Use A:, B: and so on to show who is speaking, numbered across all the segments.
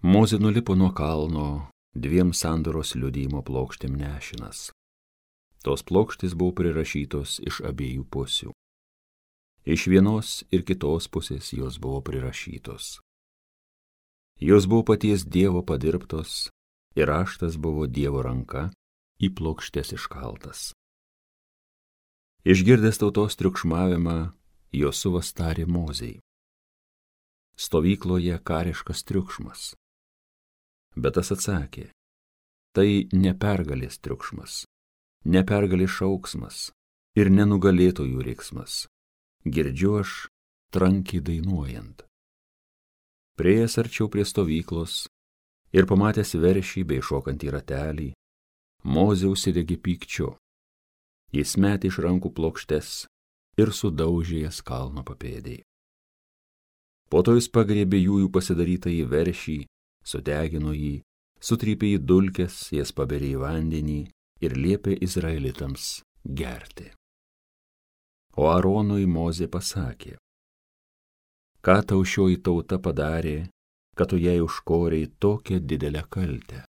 A: Mozė nulipo nuo kalno 2 sandoros liudijimo plokštėm nešinas. Tos plokštės buvo prirašytos iš abiejų pusių. Iš vienos ir kitos pusės jos buvo prirašytos. Jos buvo paties Dievo padirbtos ir raštas buvo Dievo ranka į plokštes iškaltas. Išgirdęs tautos triukšmavimą, Josuvas tarė Mozei: stovykloje kariškas triukšmas. Bet tas atsakė: tai ne pergalės triukšmas, ne pergalės šauksmas ir nenugalėtojų riksmas. Girdžiu aš trankiai dainuojant. Priėjęs arčiau prie stovyklos ir pamatęs veršį bei šokantį ratelį, Mozė užsidegė pykčiu. Jis metė iš rankų plokštes ir sudaužė jas kalno papėdėj. Po to jis pagriebė jųjų pasidarytąjį veršį, sudegino jį, sutrypė į dulkes, jas paberė į vandenį ir liepė izraelitams gerti. O Aaronui Mozė pasakė: ką tau šioji tauta padarė, kad tu jai užkorei tokią didelę kaltę?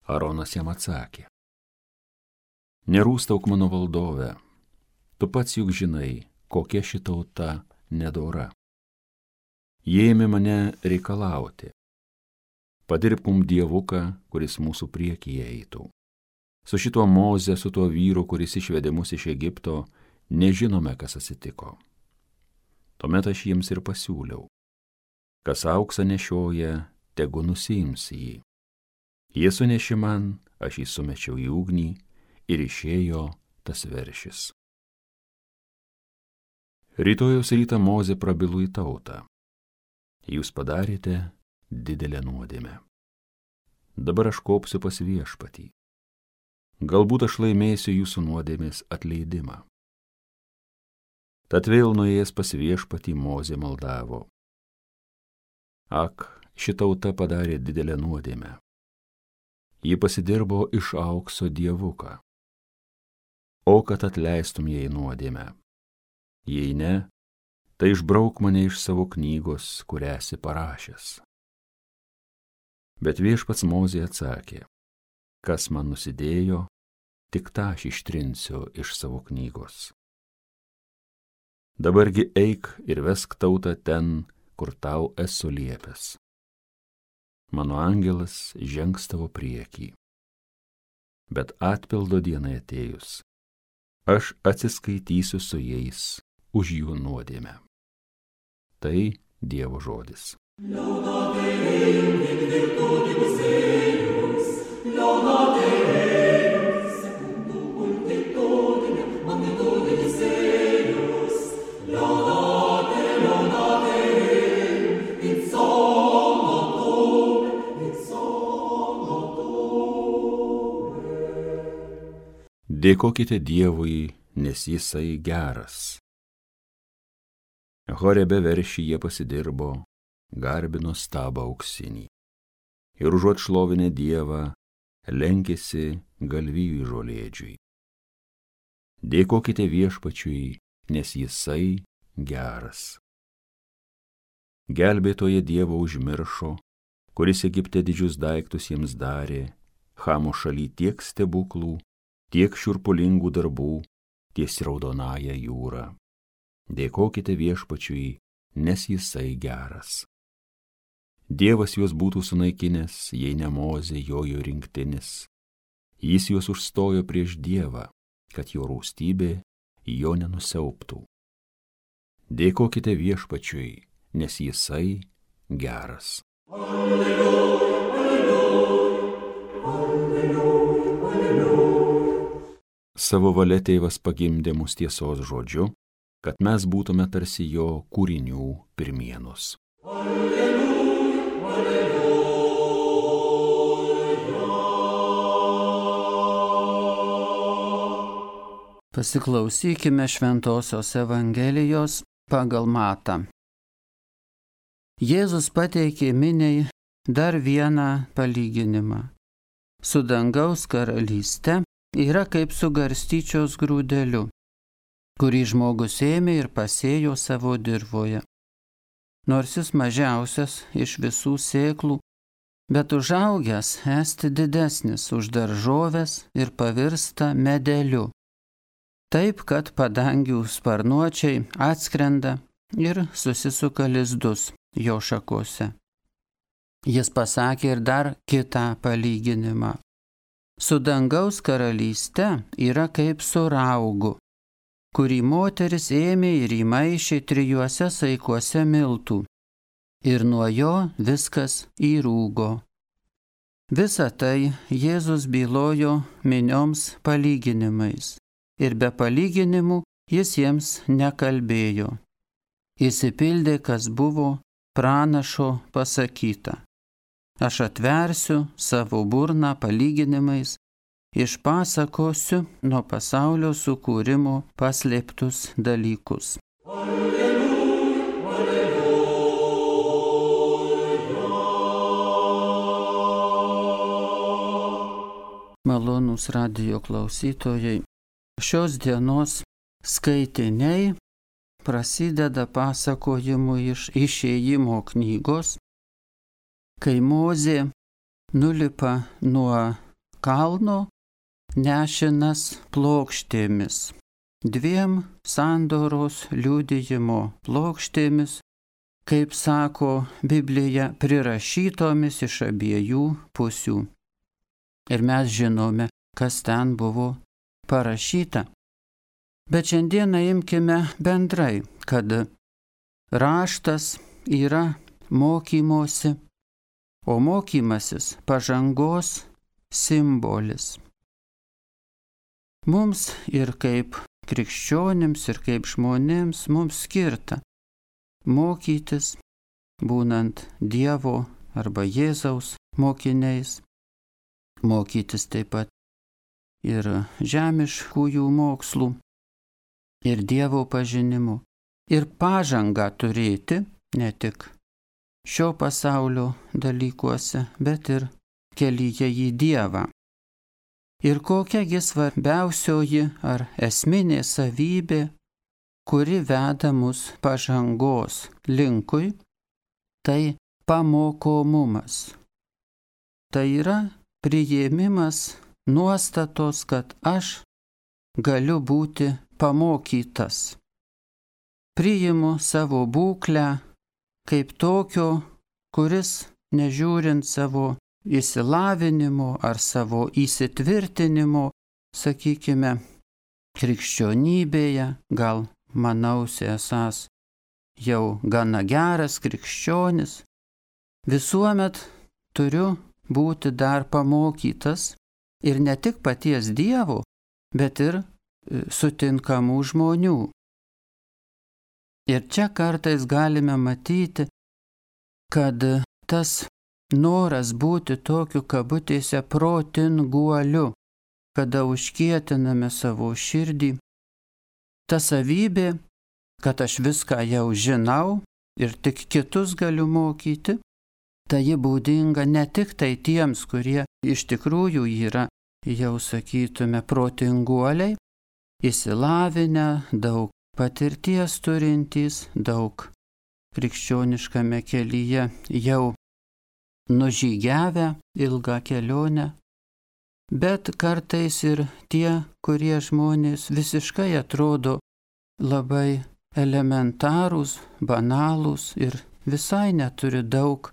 A: Aaronas jam atsakė: nerūstauk mano valdove, tu pats juk žinai, kokia ši tauta nedora. Jie ėmė mane reikalauti: padirbk mum dievuką, kuris mūsų priekyje eitų. Su šituo Moze, su tuo vyru, kuris išvedė mus iš Egipto, nežinome, kas atsitiko. Tuomet aš jiems ir pasiūliau: kas auksą nešioja, tegu nusiims jį. Jie sunešė man, aš jį sumečiau į ugnį ir išėjo tas veršis. Rytojaus rytą Mozė prabilo į tautą: jūs padarėte didelę nuodėmę. Dabar aš kopsiu pas viešpatį. Galbūt aš laimėsiu jūsų nuodėmės atleidimą. Tad vėl nuėjęs pas viešpatį Mozė maldavo: ak, ši tauta padarė didelę nuodėmę. Ji pasidirbo iš aukso dievuką. O kad atleistum jai nuodėmę. Jei ne, tai išbrauk mane iš savo knygos, kurią esi parašęs. Bet viešpats Mozė atsakė: kas man nusidėjo, tik tą aš ištrinsiu iš savo knygos. Dabargi eik ir vesk tautą ten, kur tau esu liepęs. Mano angelas žengs tavo priekį. Bet atpildo dienai atėjus, aš atsiskaitysiu su jais už jų nuodėmę. Tai Dievo žodis. Dėkokite Dievui, nes jisai geras. Horebe veršį jie pasidirbo, garbino stabą auksinį. Ir užuot šlovinę Dievą, lenkėsi galvijui žolėdžiui. Dėkokite viešpačiui, nes jisai geras. Gelbėtoje Dievo užmiršo, kuris Egipte didžius daiktus jiems darė, Chamo šaly tiek stebuklų, tiek šiurpulingų darbų ties Raudonąja jūra. Dėkokite viešpačiui, nes jisai geras. Dievas juos būtų sunaikinęs, jei ne Mozė jojo rinktinis. Jis juos užstojo prieš Dievą, kad jo rūstybė jo nenusiauptų. Dėkokite viešpačiui, nes jisai geras. Alleluja, alleluja, alleluja, alleluja. Savo valia tėvas pagimdė mus tiesos žodžiu, kad mes būtume tarsi jo kūrinių pirmienos. Alleluja, alleluja.
B: Pasiklausykime Šventosios Evangelijos pagal Matą. Jėzus pateikė miniai dar vieną palyginimą. Su dangaus karalyste yra kaip su garstyčios grūdeliu, kurį žmogus ėmė ir pasėjo savo dirvoje. Nors jis mažiausias iš visų sėklų, bet užaugęs esti didesnis už daržoves ir pavirsta medeliu. Taip, kad padangių sparnuočiai atskrenda ir susisuka lizdus jo šakose. Jis pasakė ir dar kitą palyginimą. Su dangaus karalyste yra kaip su raugu, kurį moteris ėmė ir įmaišė 3 saikuose miltų, ir nuo jo viskas įrūgo. Visą tai Jėzus bylojo minioms palyginimais, ir be palyginimų jis jiems nekalbėjo. Išsipildė, kas buvo pranašo pasakyta. Aš atversiu savo burną palyginimais, išpasakosiu nuo pasaulio sukūrimo paslėptus dalykus. Malonūs radijo klausytojai, šios dienos skaitiniai prasideda pasakojimu iš Išėjimo knygos, kai Mozė nulipa nuo kalno nešinas plokštėmis, 2 sandoros liudijimo plokštėmis, kaip sako Biblija, prirašytomis iš abiejų pusių. Ir mes žinome, kas ten buvo parašyta. Bet šiandieną imkime bendrai, kad raštas yra mokymosi, o mokymasis pažangos simbolis. Mums ir kaip krikščionims, ir kaip žmonėms mums skirta mokytis, būnant Dievo arba Jėzaus mokiniais, mokytis taip pat ir žemiškųjų mokslų, ir Dievo pažinimu, ir pažangą turėti ne tik šio pasaulio dalykuose, bet ir kelyje į Dievą. Ir kokiagi svarbiausioji ar esminė savybė, kuri veda mus pažangos linkui, tai pamokomumas. Tai yra priėmimas nuostatos, kad aš galiu būti pamokytas. Priimu savo būklę kaip tokio, kuris, nežiūrint savo išsilavinimo ar savo įsitvirtinimo, sakykime, krikščionybėje, gal manausi esąs jau gana geras krikščionis, visuomet turiu būti dar pamokytas ir ne tik paties Dievo, bet ir sutinkamų žmonių. Ir čia kartais galime matyti, kad tas noras būti tokiu kabutėse protinguoliu, kada užkietiname savo širdį, ta savybė, kad aš viską jau žinau ir tik kitus galiu mokyti, tai ji būdinga ne tik tai tiems, kurie iš tikrųjų yra, jau sakytume, protinguoliai, išsilavinę, daug patirties turintys, daug krikščioniškame kelyje jau nužygiavę ilgą kelionę, bet kartais ir tie, kurie žmonės visiškai atrodo labai elementarūs, banalūs ir visai neturi daug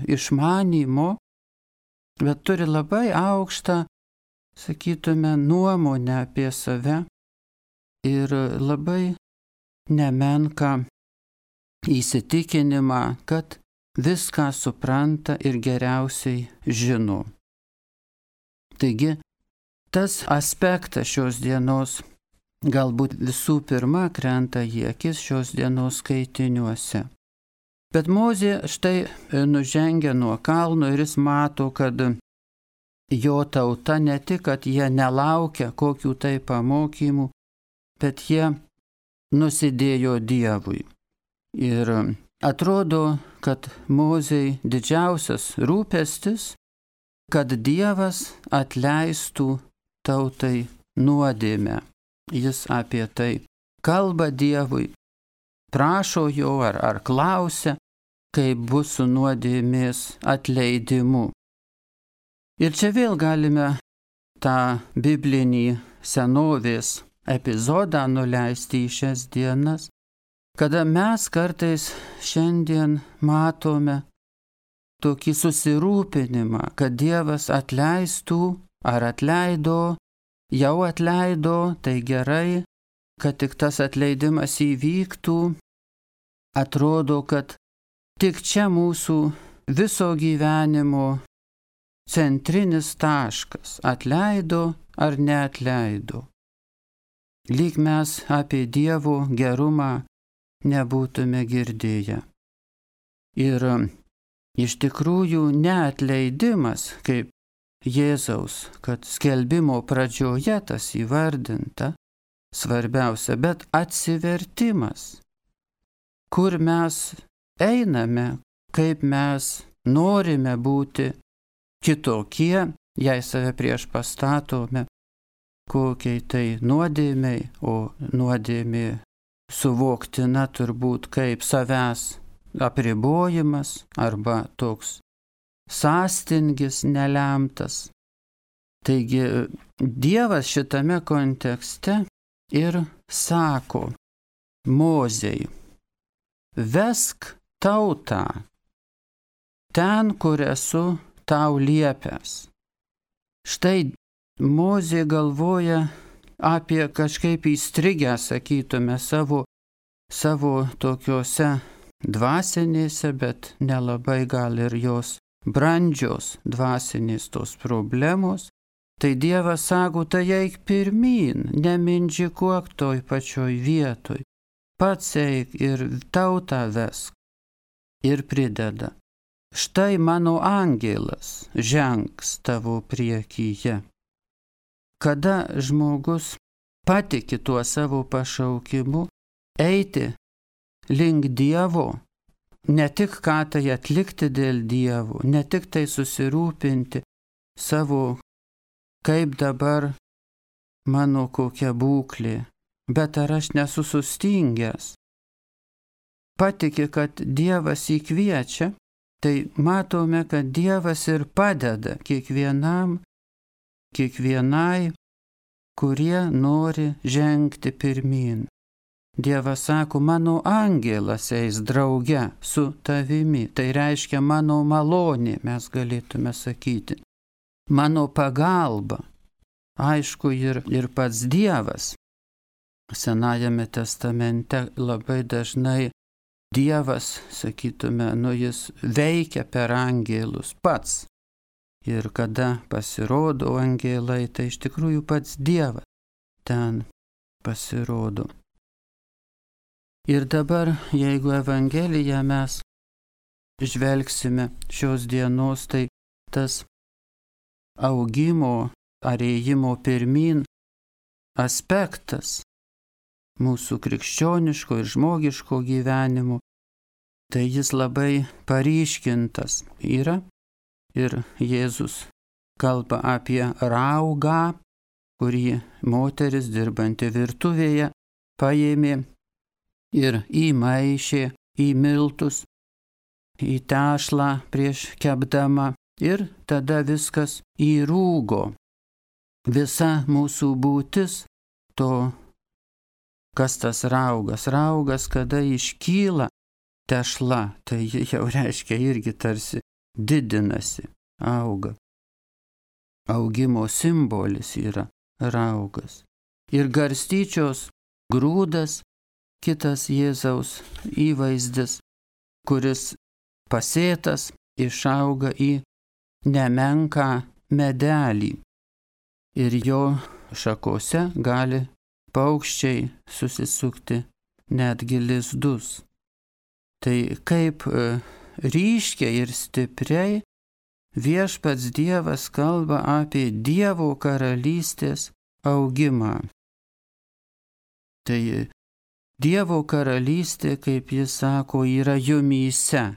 B: išmanymo, bet turi labai aukštą, sakytume, nuomonę apie save ir labai nemenką įsitikinimą, kad viską supranta ir geriausiai žino. Taigi, tas aspektas šios dienos galbūt visų pirma krenta į akis šios dienos skaitiniuose. Bet Mozė štai nužengia nuo kalno ir jis mato, kad jo tauta ne tik, kad jie nelaukia kokių tai pamokymų, bet jie nusidėjo Dievui. Ir atrodo, kad Mozei didžiausias rūpestis, kad Dievas atleistų tautai nuodėmę. Jis apie tai kalba Dievui, prašo jo ar klausia, kaip bus su nuodėmės atleidimu. Ir čia vėl galime tą biblinį senovės epizodą nuleisti į šias dienas, kada mes kartais šiandien matome tokį susirūpinimą, kad Dievas atleistų ar atleido, jau atleido, tai gerai, kad tik tas atleidimas įvyktų. Atrodo, kad tik čia mūsų viso gyvenimo centrinis taškas - atleido ar neatleido. Lyg mes apie Dievo gerumą nebūtume girdėję. Ir iš tikrųjų neatleidimas, kaip Jėzaus, kad skelbimo pradžioje tas įvardinta, svarbiausia, bet atsivertimas, kur mes einame, kaip mes norime būti kitokie, jei save prieš pastatome, kokiai tai nuodėmei, o nuodėmė suvoktina turbūt kaip savęs apribojimas arba toks sąstingis nelemtas. Taigi Dievas šitame kontekste ir sako Mozei: vesk tautą ten, kur esu tau liepęs. Štai Mozė galvoja apie kažkaip įstrigę, sakytume, savo tokiuose dvasinėse, bet nelabai gal ir jos brandžios dvasinės tos problemos. Tai Dievas sako, tai eik pirmyn, nemindžikuok toj pačioj vietoj, pats eik ir tautą vesk. Ir prideda: štai mano angelas žengs tavo priekyje. Kada žmogus patiki tuo savo pašaukimu eiti link Dievo, ne tik ką tai atlikti dėl Dievo, ne tik tai susirūpinti savo, kaip dabar mano kokia būklė, bet ar aš nesu sustingęs. Patiki, kad Dievas įkviečia, tai matome, kad Dievas ir padeda kiekvienai, kurie nori žengti pirmyn. Dievas sako, mano angelas eis drauge su tavimi, tai reiškia mano malonė, mes galėtume sakyti, mano pagalba. Aišku, ir pats Dievas. Senajame testamente labai dažnai Dievas, sakytume, jis veikia per angelus pats. Ir kada pasirodo angelai, tai iš tikrųjų pats Dievas ten pasirodo. Ir dabar, jeigu Evangeliją mes žvelgsime šios dienos, tai tas augimo ar ėjimo pirmyn aspektas mūsų krikščioniško ir žmogiško gyvenimo, tai jis labai paryškintas yra. Ir Jėzus kalba apie raugą, kurį moteris dirbanti virtuvėje paėmė ir įmaišė į miltus, į tešlą prieš kepdama, ir tada viskas įrūgo. Visa mūsų būtis to, kas tas raugas. Raugas, kada iškyla tešla, tai jau reiškia irgi tarsi didinasi, auga. Augimo simbolis yra raugas. Ir garstyčios grūdas, kitas Jėzaus įvaizdis, kuris pasėtas išauga į nemenką medelį. Ir jo šakose gali paukščiai susisukti netgi lizdus. Tai kaip ryškiai ir stipriai viešpats Dievas kalba apie Dievo karalystės augimą. Tai Dievo karalystė, kaip jis sako, yra jumyse.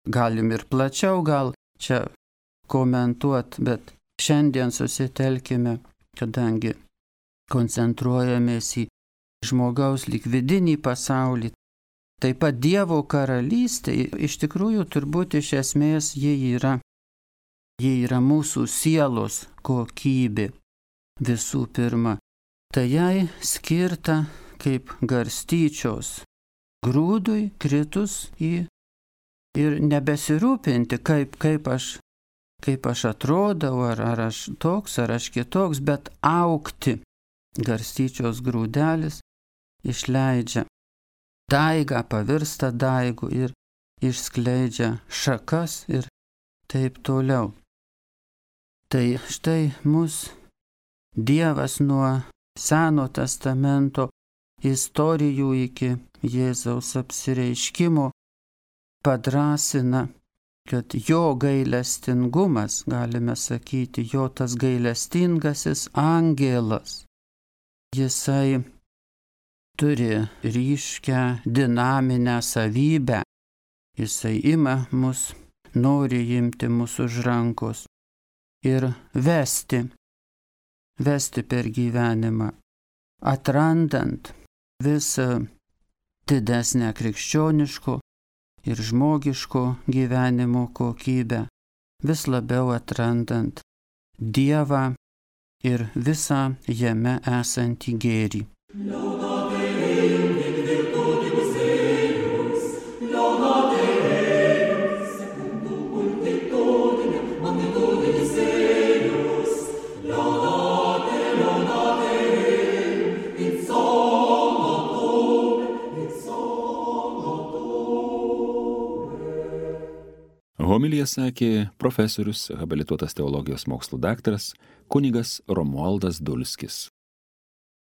B: Galim ir plačiau gal čia komentuoti, bet šiandien susitelkime, kadangi koncentruojamės į žmogaus lyg vidinį pasaulį, Taip pat Dievo karalystė, iš tikrųjų turbūt iš esmės jie yra mūsų sielos kokybė visų pirma. Tai jai skirta kaip garstyčios grūdui kritus į ir nebesirūpinti, kaip aš atrodau, ar aš toks, ar aš kitoks, bet augti. Garstyčios grūdelis išleidžia daigą, pavirsta daigų ir išskleidžia šakas ir taip toliau. Tai štai mus Dievas nuo Seno testamento istorijų iki Jėzaus apsireiškimo padrąsina, kad jo gailestingumas, galime sakyti, jo tas gailestingasis angelas, jisai turi ryškią dinaminę savybę, jisai ima mus, nori imti mus už rankos ir vesti per gyvenimą, atrandant vis didesnę krikščioniško ir žmogiško gyvenimo kokybę, vis labiau atrandant Dievą ir visą jame esantį gėrį.
A: Homiliją sakė profesorius, habilituotas teologijos mokslų daktaras kunigas Romualdas Dulskis.